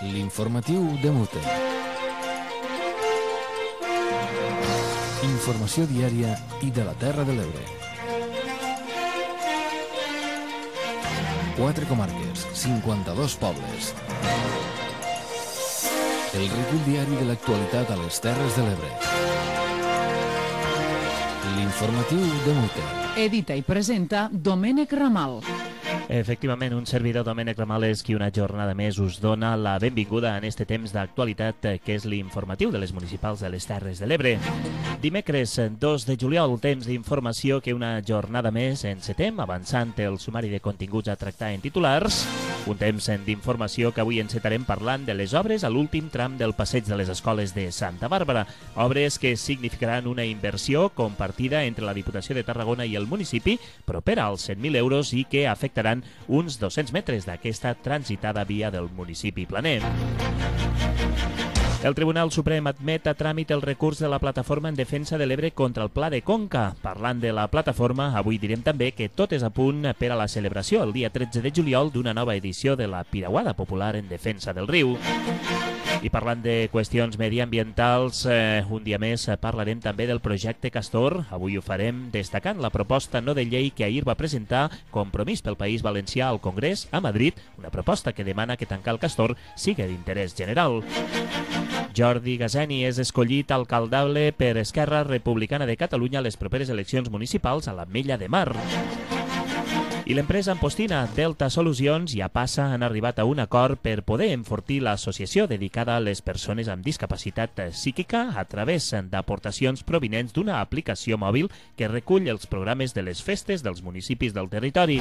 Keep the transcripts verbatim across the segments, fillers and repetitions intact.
L'informatiu de Mute. Informació diària i de la Terra de l'Ebre. Quatre comarques, cinquanta-dos pobles. El recull diari de l'actualitat a les Terres de l'Ebre. L'informatiu de Mute. Edita i presenta Domènec Ramal. Efectivament, un servidor, Domènec Ramal, és qui una jornada més us dona la benvinguda en este temps d'actualitat que és l'informatiu de les municipals de les Terres de l'Ebre. Dimecres dos de juliol, temps d'informació que una jornada més encetem, avançant el sumari de continguts a tractar en titulars. Un temps d'informació que avui encetarem parlant de les obres a l'últim tram del passeig de les escoles de Santa Bàrbara. Obres que significaran una inversió compartida entre la Diputació de Tarragona i el municipi, propera als cent mil euros i que afectaran uns dos-cents metres d'aquesta transitada via del municipi planer. El Tribunal Suprem admet a tràmit el recurs de la plataforma en defensa de l'Ebre contra el Pla de Conca. Parlant de la plataforma, avui direm també que tot és a punt per a la celebració el dia tretze de juliol d'una nova edició de la Piragüada Popular en defensa del riu. I parlant de qüestions mediambientals, eh, un dia més parlarem també del projecte Castor. Avui ho farem destacant la proposta no de llei que ahir va presentar Compromís pel País Valencià al Congrés a Madrid, una proposta que demana que tancar el Castor sigui d'interès general. Jordi Gazeni és escollit alcaldable per Esquerra Republicana de Catalunya a les properes eleccions municipals a l'Ametlla de Mar. I l'empresa ampostina Delta Solucions ja passa, han arribat a un acord per poder enfortir l'associació dedicada a les persones amb discapacitat psíquica a través d'aportacions provinents d'una aplicació mòbil que recull els programes de les festes dels municipis del territori.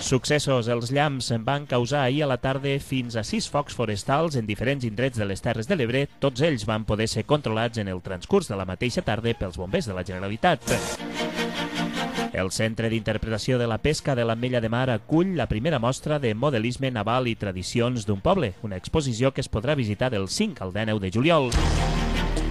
Successos, els llamps van causar ahir a la tarda fins a sis focs forestals en diferents indrets de les Terres de l'Ebre. Tots ells van poder ser controlats en el transcurs de la mateixa tarda pels bombers de la Generalitat. El Centre d'Interpretació de la Pesca de l'Ametlla de Mar acull la primera mostra de modelisme naval i tradicions d'un poble, una exposició que es podrà visitar del cinc al deu de juliol.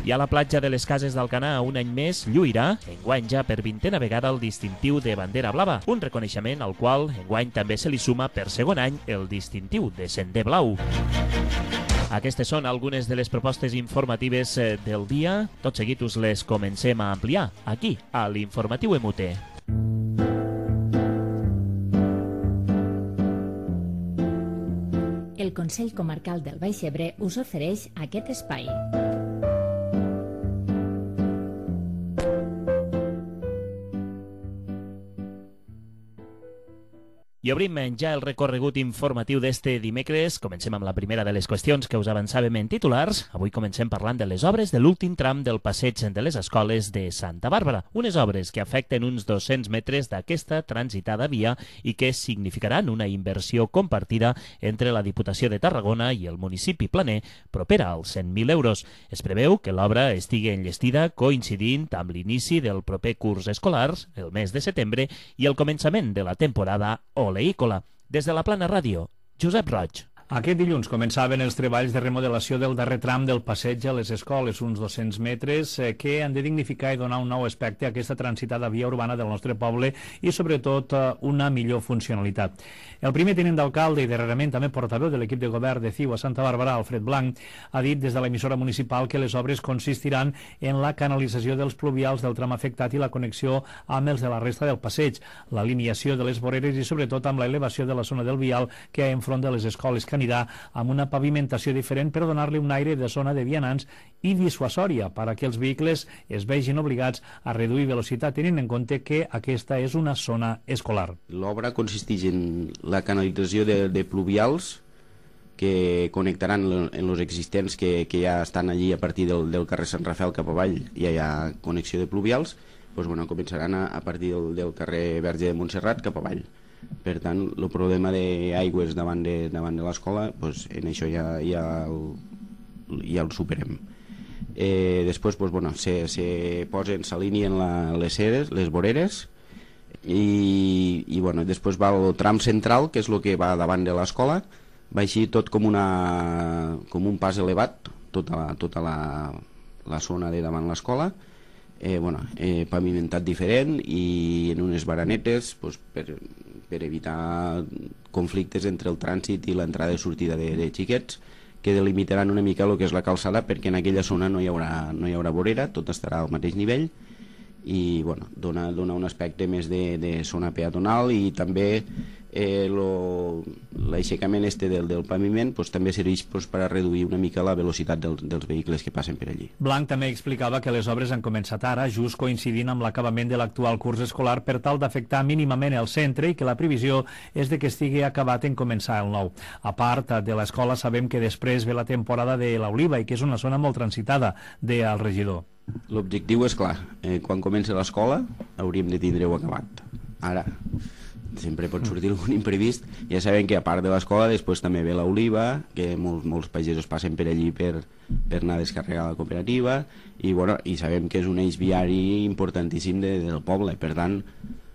I a la platja de les Cases d'Alcanar, un any més, lluirà, enguany ja per vintena vegada, el distintiu de bandera blava, un reconeixement al qual enguany també se li suma per segon any el distintiu de sender blau. Aquestes són algunes de les propostes informatives del dia. Tot seguit us les comencem a ampliar, aquí, a l'Informatiu M U T. El Consell Comarcal del Baix Ebre us ofereix aquest espai. I obrim ja el recorregut informatiu d'este dimecres. Comencem amb la primera de les qüestions que us avançàvem en titulars. Avui comencem parlant de les obres de l'últim tram del passeig de les escoles de Santa Bàrbara. Unes obres que afecten uns dos-cents metres d'aquesta transitada via i que significaran una inversió compartida entre la Diputació de Tarragona i el municipi planer, propera als cent mil euros. Es preveu que l'obra estigui enllestida coincidint amb l'inici del proper curs escolar, el mes de setembre, i el començament de la temporada oleícola. Des de la Plana Ràdio, Josep Roig. Aquest dilluns començaven els treballs de remodelació del darrer tram del passeig a les escoles, uns dos-cents metres, eh, que han de dignificar i donar un nou aspecte a aquesta transitada via urbana del nostre poble i, sobretot, eh, una millor funcionalitat. El primer tinent d'alcalde i darrerament també portaveu de l'equip de govern de C I U a Santa Bàrbara, Alfred Blanc, ha dit des de l'emissora municipal que les obres consistiran en la canalització dels pluvials del tram afectat i la connexió amb els de la resta del passeig, l'alineació de les voreres i, sobretot, amb l'elevació de la zona del vial que hi ha enfront de les escoles, que anirà amb una pavimentació diferent per donar-li un aire de zona de vianants i dissuasòria perquè els vehicles es vegin obligats a reduir velocitat, tenint en compte que aquesta és una zona escolar. L'obra consisteix en la canalització de, de pluvials que connectaran en els existents que, que ja estan allí a partir del, del carrer Sant Rafael cap avall, ja hi ha connexió de pluvials, doncs, bueno, començaran a, a partir del, del carrer Verge de Montserrat cap avall. Per tant, el problema d'aigües davant de, davant de l'escola, doncs, en això ja, ja, el, ja el superem. Eh, després, doncs, bueno, se, se posen, s'alineen les ceres, les voreres, i, i bueno, després va el tram central, que és el que va davant de l'escola, va així tot com, una, com un pas elevat, tota la, tota la, la zona de davant l'escola, eh, bueno, eh, pavimentat diferent i en unes baranetes, pues, per, per evitar conflictes entre el trànsit i l'entrada i sortida de, de xiquets, que delimitaran una mica el que és la calçada, perquè en aquella zona no hi haurà, no hi haurà vorera, tot estarà al mateix nivell, i bueno, dona, dona un aspecte més de, de zona peatonal, i també eh, l'aixecament este del, del paviment pues, també serveix pues, per a reduir una mica la velocitat del, dels vehicles que passen per allí. Blanc també explicava que les obres han començat ara, just coincidint amb l'acabament de l'actual curs escolar, per tal d'afectar mínimament el centre, i que la previsió és de que estigui acabat en començar el nou. A part de l'escola, sabem que després ve la temporada de l'Oliva, i que és una zona molt transitada, deia el regidor. L'objectiu és clar, eh, quan comença l'escola hauríem de tindre-ho acabat. Ara, sempre pot sortir algun imprevist. Ja sabem que a part de l'escola després també ve l'Oliva, que molts, molts pagesos passen per allí per, per anar a descarregar la cooperativa, i, bueno, i sabem que és un eix viari importantíssim de, del poble. Per tant,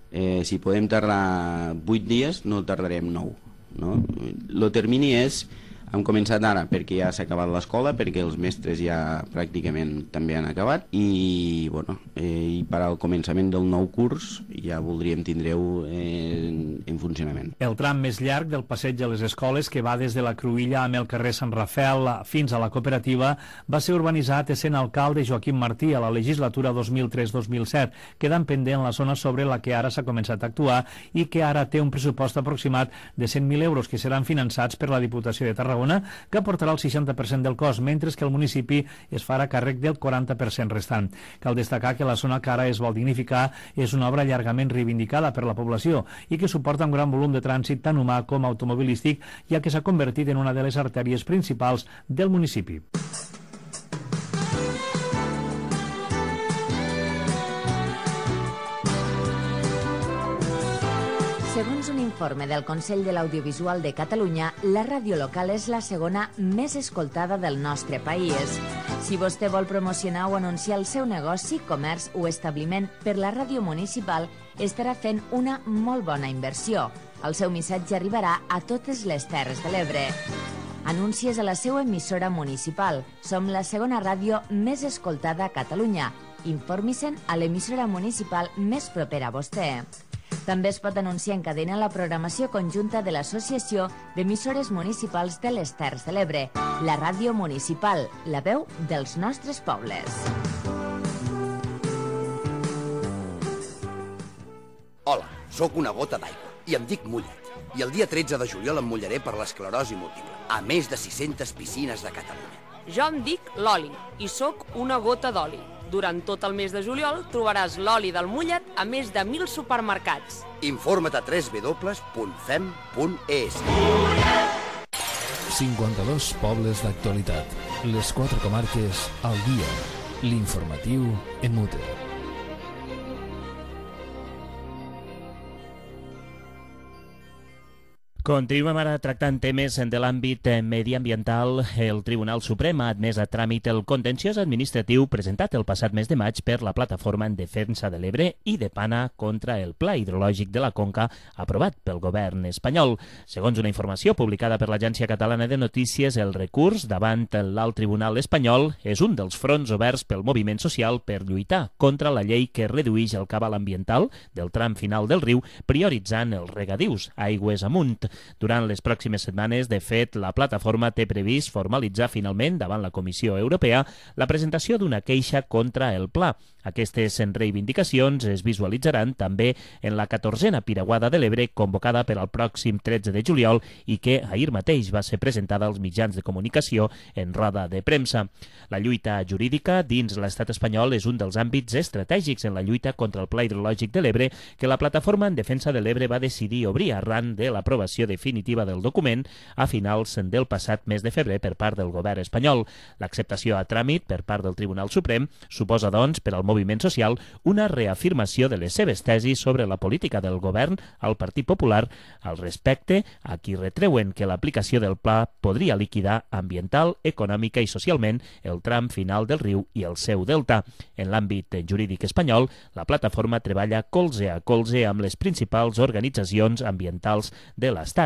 eh, si podem tardar vuit dies, no tardarem nou, no? El termini és, hem començat ara perquè ja s'ha acabat l'escola, perquè els mestres ja pràcticament també han acabat, i, bueno, eh, i per al començament del nou curs ja voldríem tindre-ho eh, en, en funcionament. El tram més llarg del passeig de les escoles, que va des de la Cruïlla amb el carrer Sant Rafel fins a la cooperativa, va ser urbanitzat essent alcalde Joaquim Martí a la legislatura dos mil tres dos mil set, quedant pendent la zona sobre la que ara s'ha començat a actuar, i que ara té un pressupost aproximat de cent mil euros, que seran finançats per la Diputació de Tarragona, que aportarà el seixanta per cent del cost, mentre que el municipi es farà càrrec del quaranta per cent restant. Cal destacar que la zona que ara es vol dignificar és una obra llargament reivindicada per la població i que suporta un gran volum de trànsit tant humà com automobilístic, ja que s'ha convertit en una de les artèries principals del municipi. Segons un informe del Consell de l'Audiovisual de Catalunya, la ràdio local és la segona més escoltada del nostre país. Si vostè vol promocionar o anunciar el seu negoci, comerç o establiment per la ràdio municipal, estarà fent una molt bona inversió. El seu missatge arribarà a totes les Terres de l'Ebre. Anuncies a la seva emissora municipal. Som la segona ràdio més escoltada a Catalunya. Informi-se'n a l'emissora municipal més propera a vostè. També es pot anunciar en cadena la programació conjunta de l'Associació d'Emissores Municipals de les Terres de l'Ebre, la ràdio municipal, la veu dels nostres pobles. Hola, sóc una gota d'aigua i em dic Mullet. I el dia tretze de juliol em mullaré per l'esclerosi múltiple, a més de sis-centes piscines de Catalunya. Jo em dic Loli i sóc una gota d'oli. Durant tot el mes de juliol trobaràs l'oli del Mullet a més de mil supermercats. Informa't a w w w punt fem punt e s. cinquanta-dos pobles d'actualitat. Les quatre comarques al dia. L'informatiu en Mute. Continuem ara tractant temes de l'àmbit mediambiental. El Tribunal Suprem ha admès a tràmit el contenciós administratiu presentat el passat mes de maig per la Plataforma en Defensa de l'Ebre i de Pana contra el Pla Hidrològic de la Conca aprovat pel govern espanyol. Segons una informació publicada per l'Agència Catalana de Notícies, el recurs davant l'Alt Tribunal espanyol és un dels fronts oberts pel moviment social per lluitar contra la llei que redueix el cabal ambiental del tram final del riu, prioritzant els regadius aigües amunt. Durant les pròximes setmanes, de fet, la plataforma té previst formalitzar finalment davant la Comissió Europea la presentació d'una queixa contra el pla. Aquestes reivindicacions es visualitzaran també en la catorzena Piraguada de l'Ebre convocada per al pròxim tretze de juliol i que ahir mateix va ser presentada als mitjans de comunicació en roda de premsa. La lluita jurídica dins l'estat espanyol és un dels àmbits estratègics en la lluita contra el Pla Hidrològic de l'Ebre que la Plataforma en Defensa de l'Ebre va decidir obrir arran de l'aprovació definitiva del document a finals del passat mes de febrer per part del govern espanyol. L'acceptació a tràmit per part del Tribunal Suprem suposa, doncs, per al moviment social una reafirmació de les seves tesis sobre la política del govern al Partit Popular al respecte a qui retreuen que l'aplicació del pla podria liquidar ambiental, econòmica i socialment el tram final del riu i el seu delta. En l'àmbit jurídic espanyol, la plataforma treballa colze a colze amb les principals organitzacions ambientals de l'Estat.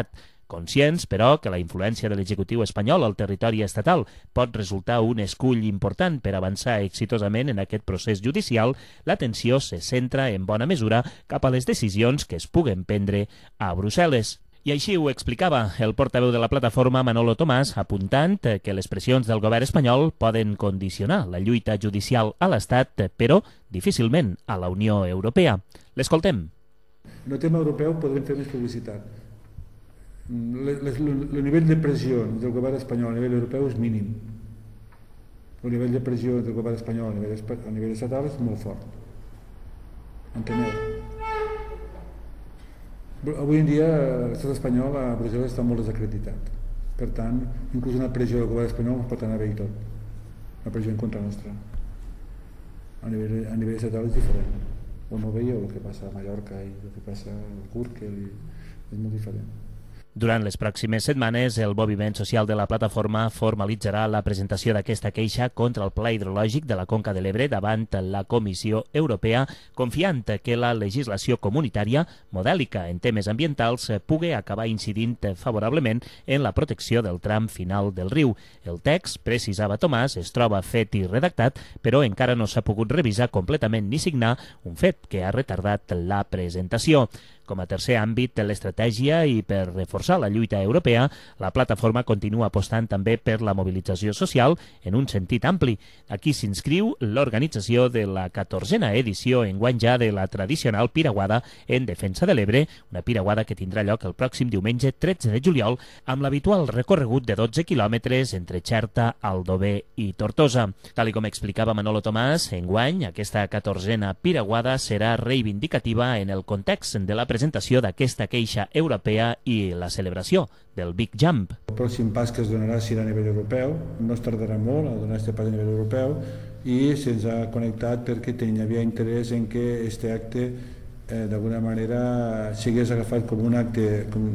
Conscients, però, que la influència de l'executiu espanyol al territori estatal pot resultar un escull important per avançar exitosament en aquest procés judicial, l'atenció se centra en bona mesura cap a les decisions que es puguen prendre a Brussel·les. I així ho explicava el portaveu de la plataforma, Manolo Tomàs, apuntant que les pressions del govern espanyol poden condicionar la lluita judicial a l'Estat, però difícilment a la Unió Europea. L'escoltem. En el tema europeu podem fer més publicitat. El nivell de pressió del govern espanyol a nivell europeu és mínim. El nivell de pressió del govern espanyol a nivell, a nivell estatal és molt fort. Enteneu? Avui en dia l'estat espanyol a Brussel·les està molt desacreditat. Per tant, inclús una pressió del govern espanyol pot anar bé i tot. Una pressió en contra nostra. A nivell, a nivell estatal és diferent. O no veieu el que passa a Mallorca i el que passa al Gürtel, és molt diferent. Durant les pròximes setmanes, el moviment social de la plataforma formalitzarà la presentació d'aquesta queixa contra el pla hidrològic de la Conca de l'Ebre davant la Comissió Europea, confiant que la legislació comunitària, modèlica en temes ambientals, pugui acabar incidint favorablement en la protecció del tram final del riu. El text, precisava Tomàs, es troba fet i redactat, però encara no s'ha pogut revisar completament ni signar, un fet que ha retardat la presentació. Com a tercer àmbit de l'estratègia i per reforçar la lluita europea, la plataforma continua apostant també per la mobilització social en un sentit ampli. Aquí s'inscriu l'organització de la catorzena edició enguany ja de la tradicional piraguada en defensa de l'Ebre, una piraguada que tindrà lloc el pròxim diumenge tretze de juliol amb l'habitual recorregut de dotze quilòmetres entre Xerta, Aldover i Tortosa. Tal com explicava Manolo Tomàs, enguany aquesta catorzena piraguada serà reivindicativa en el context de la presentació d'aquesta queixa europea i la celebració del Big Jump. El pròxim pas que es donarà serà a nivell europeu, no es tardarà molt a donar aquest pas a nivell europeu i se'ns ha connectat perquè hi havia interès en que aquest acte eh, d'alguna manera sigués agafat com un acte com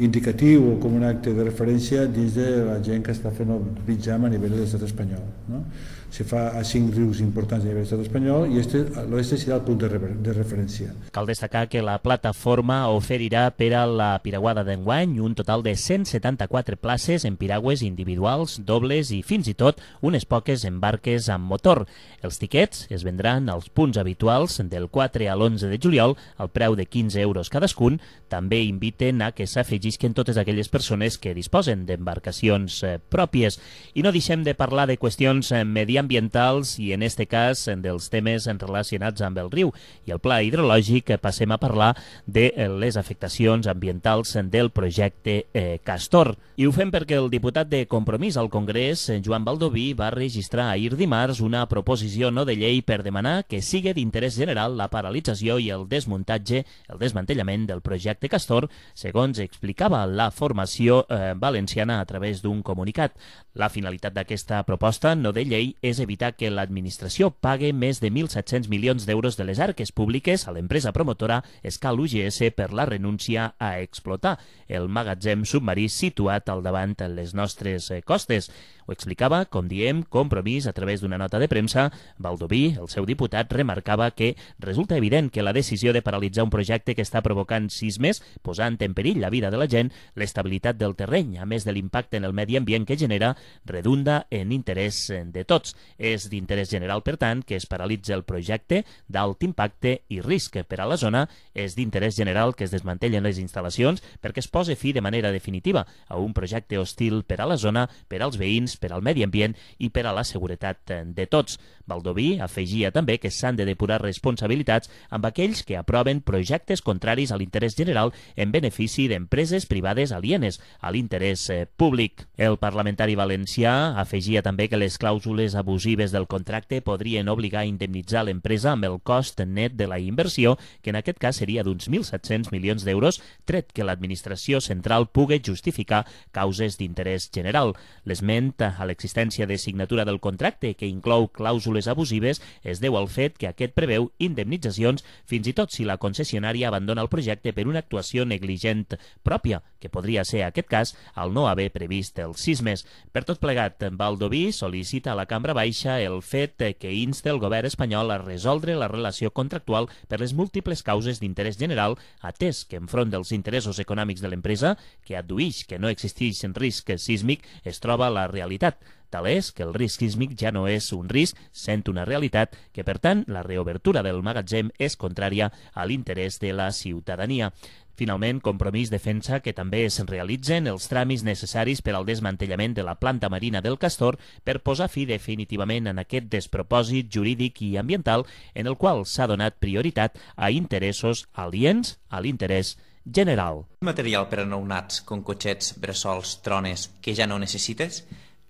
indicatiu o com un acte de referència dins de la gent que està fent el Big Jump a nivell de l'estat espanyol. No? Se fa a cinc rius importants a nivell de l'estat espanyol i l'oest serà el punt de, refer de referència. Cal destacar que la plataforma oferirà per a la piraguada d'enguany un total de cent setanta-quatre places en piragües individuals, dobles i fins i tot unes poques en barques amb motor. Els tiquets es vendran als punts habituals del quatre a l'onze de juliol al preu de quinze euros cadascun. També inviten a que s'afegisquen totes aquelles persones que disposen d'embarcacions eh, pròpies. I no deixem de parlar de qüestions eh, mediambientals i en este cas dels temes relacionats amb el riu i el pla hidrològic. Passem a parlar de les afectacions ambientals del projecte eh, Castor. I ho fem perquè el diputat de Compromís al Congrés, Joan Baldoví, va registrar ahir dimarts una proposició no de llei per demanar que sigui d'interès general la paralització i el desmuntatge, el desmantellament del projecte Castor, segons explicava la formació eh, valenciana a través d'un comunicat. La finalitat d'aquesta proposta no de llei és evitar que l'administració pague més de mil set-cents milions d'euros de les arques públiques a l'empresa promotora Escal U G S per la renúncia a explotar el magatzem submarí situat al davant de les nostres costes. Ho explicava, com diem, Compromís a través d'una nota de premsa. Baldoví, el seu diputat, remarcava que resulta evident que la decisió de paralitzar un projecte que està provocant sismes, posant en perill la vida de la gent, l'estabilitat del terreny, a més de l'impacte en el medi ambient que genera, redunda en interès de tots. És d'interès general, per tant, que es paralitza el projecte d'alt impacte i risc per a la zona. És d'interès general que es desmantellen les instal·lacions perquè es posi fi de manera definitiva a un projecte hostil per a la zona, per als veïns, per al medi ambient i per a la seguretat de tots. Baldoví afegia també que s'han de depurar responsabilitats amb aquells que aproven projectes contraris a l'interès general en benefici d'empreses privades alienes a l'interès públic. El parlamentari valencià afegia també que les clàusules abusives del contracte podrien obligar a indemnitzar l'empresa amb el cost net de la inversió, que en aquest cas seria d'uns mil set-cents milions d'euros, tret que l'administració central pugui justificar causes d'interès general. L'esment a l'existència de signatura del contracte, que inclou clàusules abusives, es deu al fet que aquest preveu indemnitzacions fins i tot si la concessionària abandona el projecte per una actuació negligent pròpia, que podria ser aquest cas al no haver previst els sismes. Per tot plegat, Baldoví sol·licita a la Cambra Baixa el fet que insta el govern espanyol a resoldre la relació contractual per les múltiples causes d'interès general, atès que enfront dels interessos econòmics de l'empresa, que adduïx que no existeix risc sísmic, es troba la realitat. Tal és que el risc sísmic ja no és un risc, sent una realitat, que per tant la reobertura del magatzem és contrària a l'interès de la ciutadania. Finalment, Compromís defensa que també es realitzen els tràmits necessaris per al desmantellament de la planta marina del Castor per posar fi definitivament en aquest despropòsit jurídic i ambiental en el qual s'ha donat prioritat a interessos aliens a l'interès general. Material per a nounats com cotxets, bressols, trones que ja no necessites?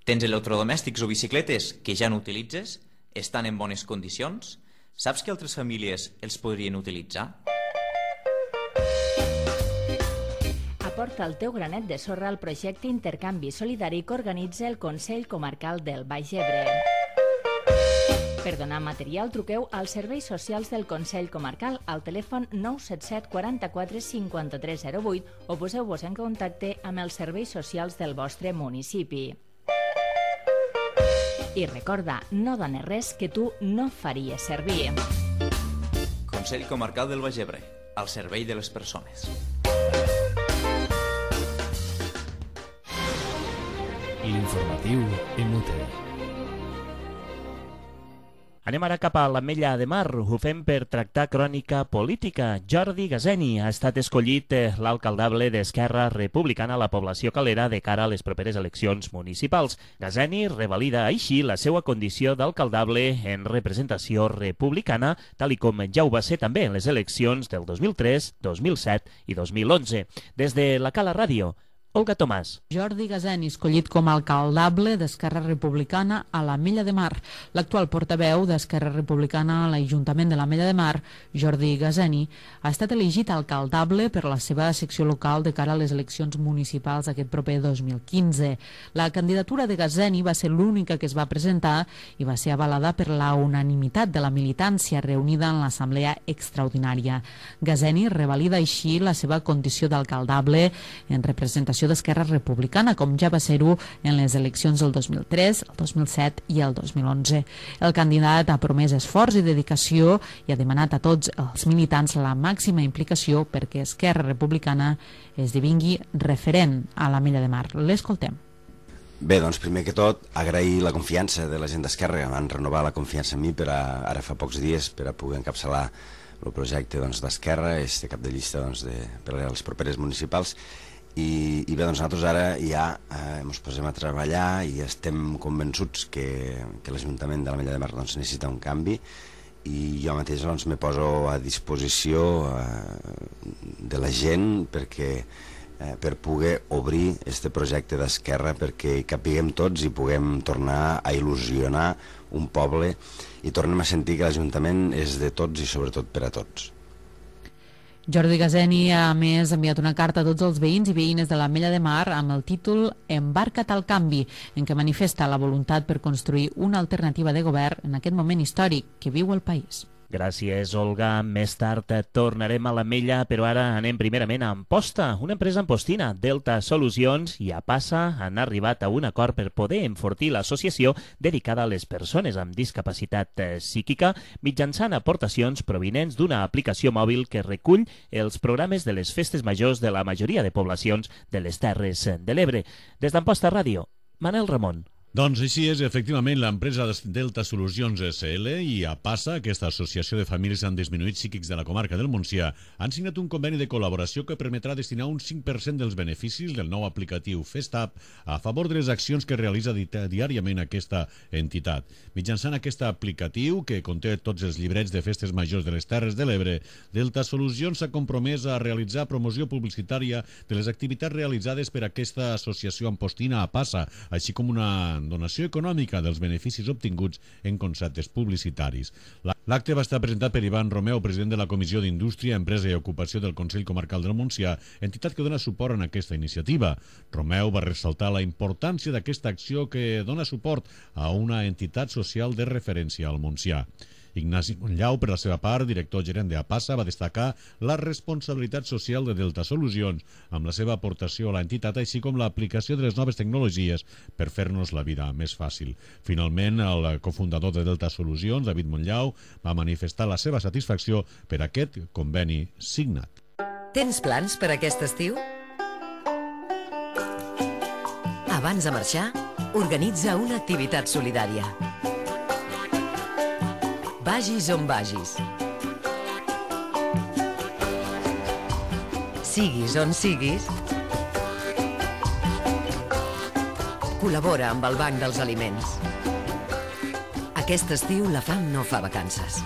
Tens electrodomèstics o bicicletes que ja no utilitzes? Estan en bones condicions? Saps que altres famílies els podrien utilitzar? Aporta el teu granet de sorra al projecte Intercanvi Solidari que organitza el Consell Comarcal del Baix Ebre. Per donar material, truqueu als serveis socials del Consell Comarcal al telèfon nou set set quaranta-quatre cinquanta-tres zero vuit o poseu-vos en contacte amb els serveis socials del vostre municipi. I recorda, no dones res que tu no faries servir. Consell Comarcal del Baix Ebre, al servei de les persones. L'informatiu en Mute. Anem ara cap a l'Ametlla de Mar. Ho fem per tractar crònica política. Jordi Gazeni ha estat escollit l'alcaldable d'Esquerra Republicana a la població calera de cara a les properes eleccions municipals. Gazeni revalida així la seva condició d'alcaldable en representació republicana, tal i com ja ho va ser també en les eleccions del dos mil tres, dos mil set i dos mil onze. Des de la Cala Ràdio, Olga Tomàs. Jordi Gazeni, escollit com a alcaldable d'Esquerra Republicana a l'Ametlla de Mar. L'actual portaveu d'Esquerra Republicana a l'Ajuntament de l'Ametlla de Mar, Jordi Gazeni, ha estat elegit alcaldable per la seva secció local de cara a les eleccions municipals aquest proper dos mil quinze. La candidatura de Gazeni va ser l'única que es va presentar i va ser avalada per la unanimitat de la militància reunida en l'Assemblea Extraordinària. Gazeni revalida així la seva condició d'alcaldable en representació d'Esquerra Republicana, com ja va ser-ho en les eleccions del dos mil tres, el dos mil set i el dos mil onze. El candidat ha promès esforç i dedicació i ha demanat a tots els militants la màxima implicació perquè Esquerra Republicana esdevingui referent a l'Ametlla de Mar. L'escoltem. Bé, doncs primer que tot agrair la confiança de la gent d'Esquerra, van renovar la confiança en mi per a, ara fa pocs dies per a poder encapçalar el projecte d'Esquerra, doncs, este cap de llista doncs, de, per a les properes municipals. I, i bé, doncs nosaltres ara ja eh, ens posem a treballar i estem convençuts que, que l'Ajuntament de l'Ametlla de Mar doncs, necessita un canvi i jo mateix doncs, me poso a disposició eh, de la gent perquè, eh, per poder obrir este projecte d'Esquerra perquè hi capiguem tots i puguem tornar a il·lusionar un poble i tornem a sentir que l'Ajuntament és de tots i sobretot per a tots. Jordi Gazeni ha, a més, enviat una carta a tots els veïns i veïnes de l'Ametlla de Mar amb el títol Embarca't al canvi, en què manifesta la voluntat per construir una alternativa de govern en aquest moment històric que viu el país. Gràcies, Olga. Més tard tornarem a l'Ametlla, però ara anem primerament a Amposta. Una empresa ampostina, Delta Solucions i Apasa, han arribat a un acord per poder enfortir l'associació dedicada a les persones amb discapacitat psíquica mitjançant aportacions provinents d'una aplicació mòbil que recull els programes de les festes majors de la majoria de poblacions de les Terres de l'Ebre. Des d'Amposta Ràdio, Manel Ramon. Doncs així és, efectivament, l'empresa Delta Solucions S L i Apasa, aquesta associació de famílies amb disminuïts psíquics de la comarca del Montsià, han signat un conveni de col·laboració que permetrà destinar un cinc per cent dels beneficis del nou aplicatiu FestApp a favor de les accions que realitza di diàriament aquesta entitat. Mitjançant aquest aplicatiu, que conté tots els llibrets de festes majors de les Terres de l'Ebre, Delta Solucions s'ha compromès a realitzar promoció publicitària de les activitats realitzades per aquesta associació ampostina Apasa, així com una donació econòmica dels beneficis obtinguts en conceptes publicitaris. L'acte va estar presentat per Ivan Romeu, president de la Comissió d'Indústria, Empresa i Ocupació del Consell Comarcal del Montsià, entitat que dona suport en aquesta iniciativa. Romeu va ressaltar la importància d'aquesta acció que dona suport a una entitat social de referència al Montsià. Ignasi Monllau, per la seva part, director gerent d'Apasa, va destacar la responsabilitat social de Delta Solucions amb la seva aportació a l'entitat, així com l'aplicació de les noves tecnologies per fer-nos la vida més fàcil. Finalment, el cofundador de Delta Solucions, David Monllau, va manifestar la seva satisfacció per aquest conveni signat. Tens plans per aquest estiu? Abans de marxar, organitza una activitat solidària. Vagis on vagis. Siguis on siguis, col·labora amb el Banc dels Aliments. Aquest estiu la fam no fa vacances.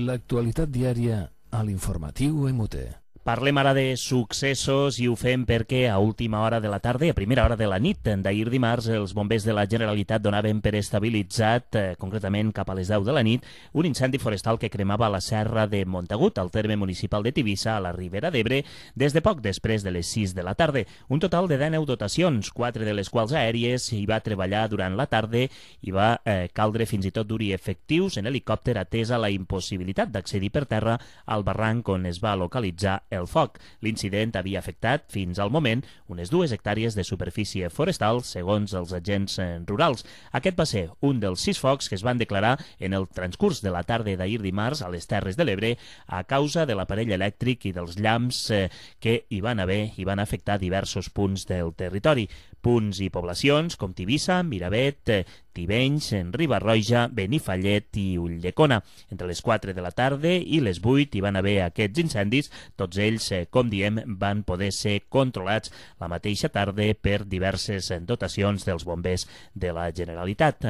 L'actualitat diària a l'informatiu M U T. Parlem ara de successos i ho fem perquè a última hora de la tarda, a primera hora de la nit d'ahir dimarts, els bombers de la Generalitat donaven per estabilitzat, eh, concretament cap a les deu de la nit, un incendi forestal que cremava la serra de Montagut, al terme municipal de Tivissa, a la Ribera d'Ebre, des de poc després de les sis de la tarda. Un total de deu dotacions, quatre de les quals aèries, hi va treballar durant la tarda i va eh, caldre fins i tot dur-hi efectius en helicòpter atesa la impossibilitat d'accedir per terra al barranc on es va localitzar el foc. L'incident havia afectat, fins al moment, unes dues hectàrees de superfície forestal, segons els agents rurals. Aquest va ser un dels sis focs que es van declarar en el transcurs de la tarda d'ahir dimarts a les Terres de l'Ebre a causa de l'aparell elèctric i dels llamps eh, que hi van haver i van afectar diversos punts del territori. Punts i poblacions com Tivissa, Miravet, eh, Tivenys, Riba-roja, Benifallet i Ulldecona. Entre les quatre de la tarda i les vuit hi van haver aquests incendis. Tots ells, eh, com diem, van poder ser controlats la mateixa tarda per diverses dotacions dels bombers de la Generalitat.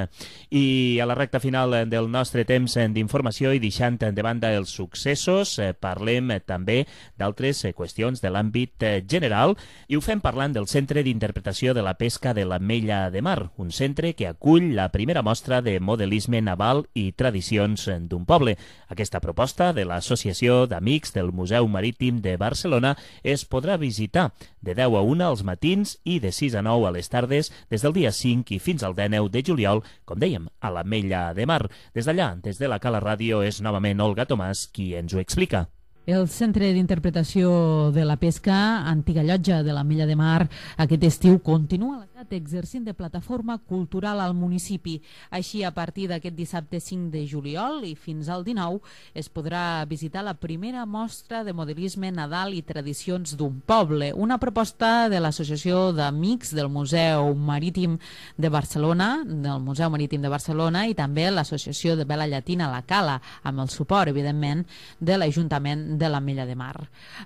I a la recta final del nostre temps d'informació i deixant de banda els successos, eh, parlem també d'altres eh, qüestions de l'àmbit eh, general i ho fem parlant del Centre d'Interpretació de la Pesca de l'Ametlla de Mar, un centre que acull la primera mostra de modelisme naval i tradicions d'un poble. Aquesta proposta de l'Associació d'Amics del Museu Marítim de Barcelona es podrà visitar de deu a una als matins i de sis a nou a les tardes des del dia cinc i fins al dinou de juliol, com dèiem, a l'Ametlla de Mar. Des d'allà, des de la Cala Ràdio, és novament Olga Tomàs qui ens ho explica. El Centre d'Interpretació de la Pesca, antiga llotja de l'Ametlla de Mar, aquest estiu continua exercint de plataforma cultural al municipi. Així, a partir d'aquest dissabte cinc de juliol i fins al dinou, es podrà visitar la primera mostra de modelisme nadal i tradicions d'un poble, una proposta de l'Associació d'Amics del Museu Marítim de Barcelona, del Museu Marítim de Barcelona i també l'Associació de Vela Llatina La Cala, amb el suport, evidentment, de l'Ajuntament de l'Ametlla de Mar.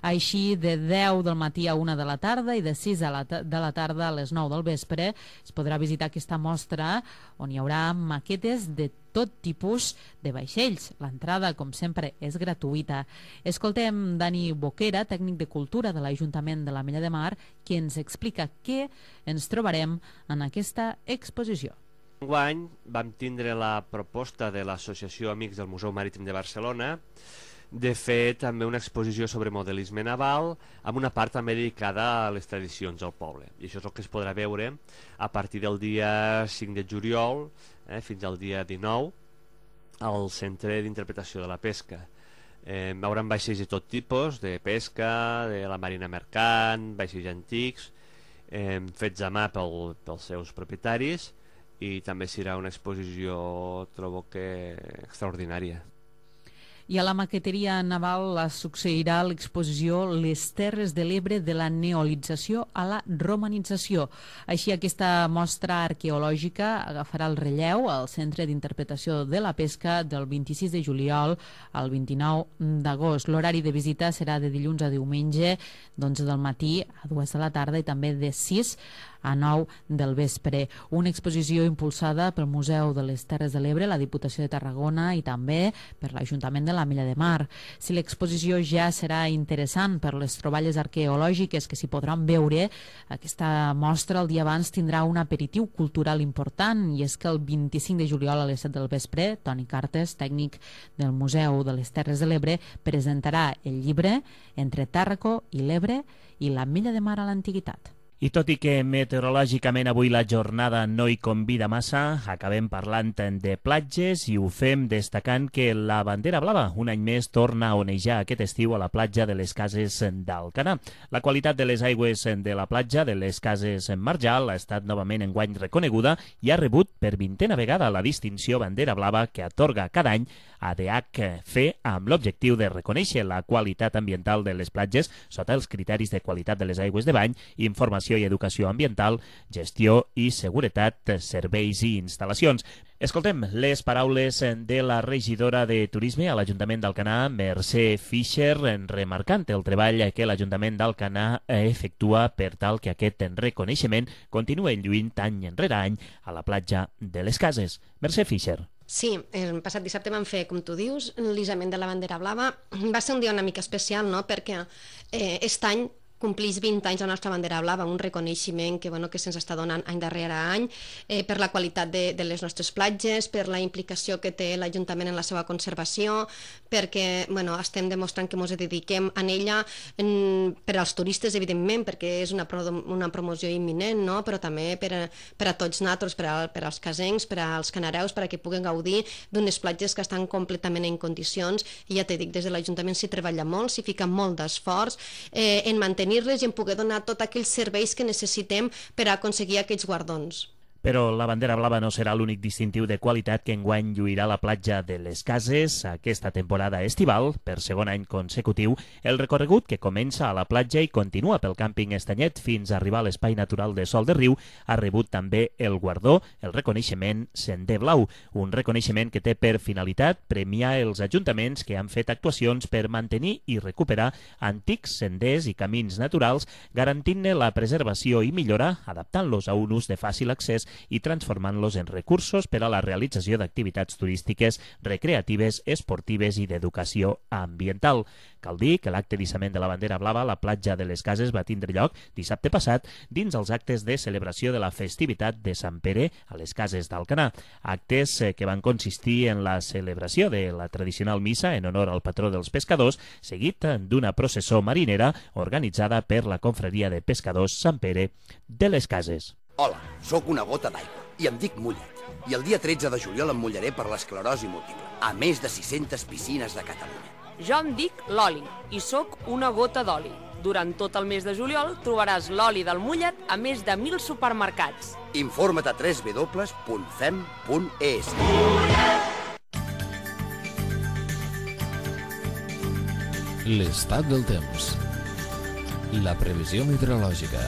Així, de deu del matí a una de la tarda i de sis de la tarda a les nou del vespre es podrà visitar aquesta mostra on hi haurà maquetes de tot tipus de vaixells. L'entrada, com sempre, és gratuïta. Escoltem Dani Boquera, tècnic de cultura de l'Ajuntament de l'Ametlla de Mar, qui ens explica què ens trobarem en aquesta exposició. Enguany vam tindre la proposta de l'Associació Amics del Museu Marítim de Barcelona de fer també una exposició sobre modelisme naval amb una part també dedicada a les tradicions del poble. I això és el que es podrà veure a partir del dia cinc de juliol eh, fins al dia dinou al Centre d'Interpretació de la Pesca. Eh, veuran vaixells de tot tipus, de pesca, de la marina mercant, vaixells antics, eh, fets a mà pel, pels seus propietaris, i també serà una exposició, trobo que, extraordinària. I a la maqueteria naval succeirà l'exposició Les Terres de l'Ebre de la neolització a la romanització. Així, aquesta mostra arqueològica agafarà el relleu al Centre d'Interpretació de la Pesca del vint-i-sis de juliol al vint-i-nou d'agost. L'horari de visita serà de dilluns a diumenge, d'onze del matí a dues de la tarda i també de sis a nou del vespre. Una exposició impulsada pel Museu de les Terres de l'Ebre, la Diputació de Tarragona i també per l'Ajuntament de l'Ametlla de Mar. Si l'exposició ja serà interessant per les troballes arqueològiques que s'hi podran veure, aquesta mostra el dia abans tindrà un aperitiu cultural important, i és que el vint-i-cinc de juliol a les set del vespre, Toni Cartes, tècnic del Museu de les Terres de l'Ebre, presentarà el llibre Entre Tàrraco i l'Ebre i l'Ametlla de Mar a l'Antiguitat. I tot i que meteorològicament avui la jornada no hi convida massa, acabem parlant de platges i ho fem destacant que la bandera blava un any més torna a onejar aquest estiu a la platja de les Cases d'Alcanar. La qualitat de les aigües de la platja de les Cases Marjal ha estat novament enguany reconeguda i ha rebut per vintena vegada la distinció bandera blava que atorga cada any a D H C amb l'objectiu de reconèixer la qualitat ambiental de les platges sota els criteris de qualitat de les aigües de bany, informació i educació ambiental, gestió i seguretat, serveis i instal·lacions. Escoltem les paraules de la regidora de Turisme a l'Ajuntament d'Alcanar, Mercè Fischer, remarcant el treball que l'Ajuntament d'Alcanar efectua per tal que aquest reconeixement continue lluint any enrere any a la platja de les Cases. Mercè Fischer. Sí, el passat dissabte vam fer, com tu dius, l'isament de la bandera blava. Va ser un dia una mica especial, no?, perquè eh, aquest any compleix vint anys la nostra bandera blava, un reconeixement que, bueno, que se'ns està donant any darrere any eh, per la qualitat de, de les nostres platges, per la implicació que té l'Ajuntament en la seva conservació, perquè, bueno, estem demostrant que ens dediquem a ella en, per als turistes, evidentment, perquè és una, pro, una promoció imminent, no?, però també per a, per a tots nosaltres, per, a, per als casencs, per als canareus, perquè puguen gaudir d'unes platges que estan completament en condicions, i ja t'he dit, des de l'Ajuntament s'hi treballa molt, s'hi fica molt d'esforç eh, en mantenir i en poder donar tots aquells serveis que necessitem per aconseguir aquests guardons. Però la bandera blava no serà l'únic distintiu de qualitat que enguany lluirà la platja de les Cases aquesta temporada estival. Per segon any consecutiu, el recorregut que comença a la platja i continua pel càmping Estanyet fins a arribar a l'espai natural de Sol de Riu ha rebut també el guardó, el reconeixement Sender Blau, un reconeixement que té per finalitat premiar els ajuntaments que han fet actuacions per mantenir i recuperar antics senders i camins naturals, garantint-ne la preservació i millora, adaptant-los a un ús de fàcil accés i transformant-los en recursos per a la realització d'activitats turístiques, recreatives, esportives i d'educació ambiental. Cal dir que l'acte d'issament de la bandera blava a la platja de les Cases va tindre lloc dissabte passat dins els actes de celebració de la festivitat de Sant Pere a les Cases d'Alcanar. Actes que van consistir en la celebració de la tradicional missa en honor al patró dels pescadors, seguit d'una processó marinera organitzada per la confraria de pescadors Sant Pere de les Cases. Hola, sóc una gota d'aigua i em dic Mullet. I el dia tretze de juliol em mullaré per l'esclerosi múltiple, a més de sis-centes piscines de Catalunya. Jo em dic Loli i sóc una gota d'oli. Durant tot el mes de juliol trobaràs l'oli del mullet a més de mil supermercats. Informa't a w w w punt fem punt e s. L'estat del temps. La previsió meteorològica.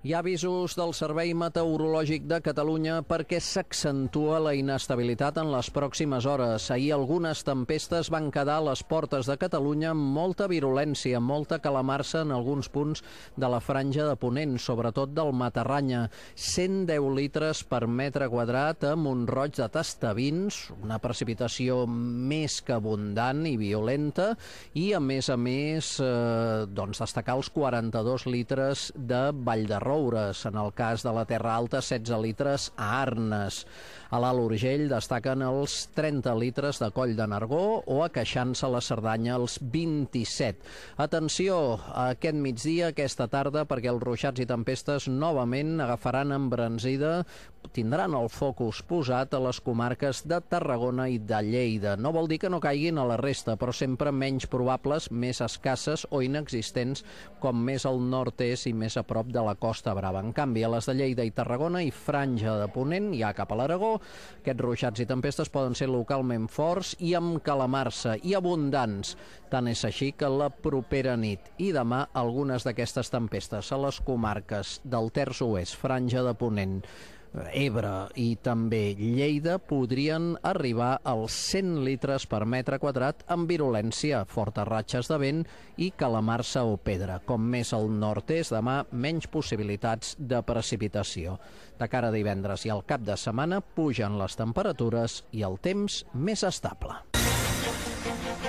Hi ha avisos del Servei Meteorològic de Catalunya perquè s'accentua la inestabilitat en les pròximes hores. Ahir algunes tempestes van quedar a les portes de Catalunya amb molta virulència, molta calamarsa en alguns punts de la franja de Ponent, sobretot del Matarranya. cent deu litres per metre quadrat a Mont-roig de Tastavins, una precipitació més que abundant i violenta, i a més a més eh, doncs destacar els quaranta-dos litres de Vall de Roures. En el cas de la Terra Alta, setze litres a Arnes. A l'Alt Urgell destaquen els trenta litres de Coll de Nargó o a Queixança la Cerdanya els vint-i-set. Atenció a aquest migdia, aquesta tarda, perquè els ruixats i tempestes novament agafaran embranzida, tindran el focus posat a les comarques de Tarragona i de Lleida. No vol dir que no caiguin a la resta, però sempre menys probables, més escasses o inexistents, com més al nord-est i més a prop de la Costa Brava. En canvi, a les de Lleida i Tarragona i franja de Ponent, ja cap a l'Aragó, aquests ruixats i tempestes poden ser localment forts i amb calamarsa i abundants. Tant és així que la propera nit i demà algunes d'aquestes tempestes a les comarques del Terç Oest, franja de Ponent, Ebre i també Lleida podrien arribar als cent litres per metre quadrat amb virulència, fortes ratxes de vent i calamarsa o pedra. Com més al nord-est, demà menys possibilitats de precipitació. De cara a divendres i al cap de setmana pugen les temperatures i el temps més estable.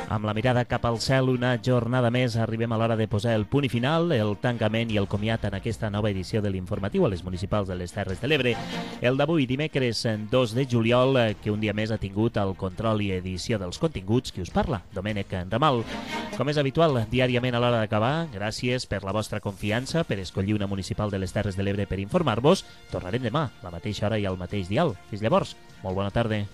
Amb la mirada cap al cel, una jornada més, arribem a l'hora de posar el punt i final, el tancament i el comiat en aquesta nova edició de l'informatiu a les municipals de les Terres de l'Ebre. El d'avui, dimecres dos de juliol, que un dia més ha tingut el control i edició dels continguts, qui us parla, Domènec Ramal. Com és habitual, diàriament a l'hora d'acabar, gràcies per la vostra confiança, per escollir una municipal de les Terres de l'Ebre per informar-vos. Tornarem demà, a la mateixa hora i al mateix dial. Fins llavors, molt bona tarda.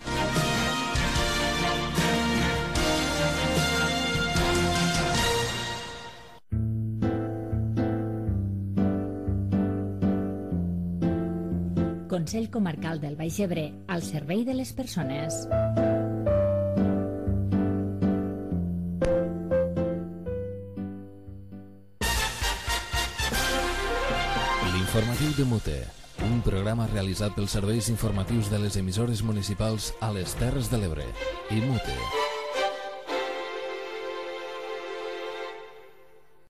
Consell Comarcal del Baix Ebre, al servei de les persones. L'informatiu de Mute, un programa realitzat pels serveis informatius de les emissores municipals a les Terres de l'Ebre. I Mute.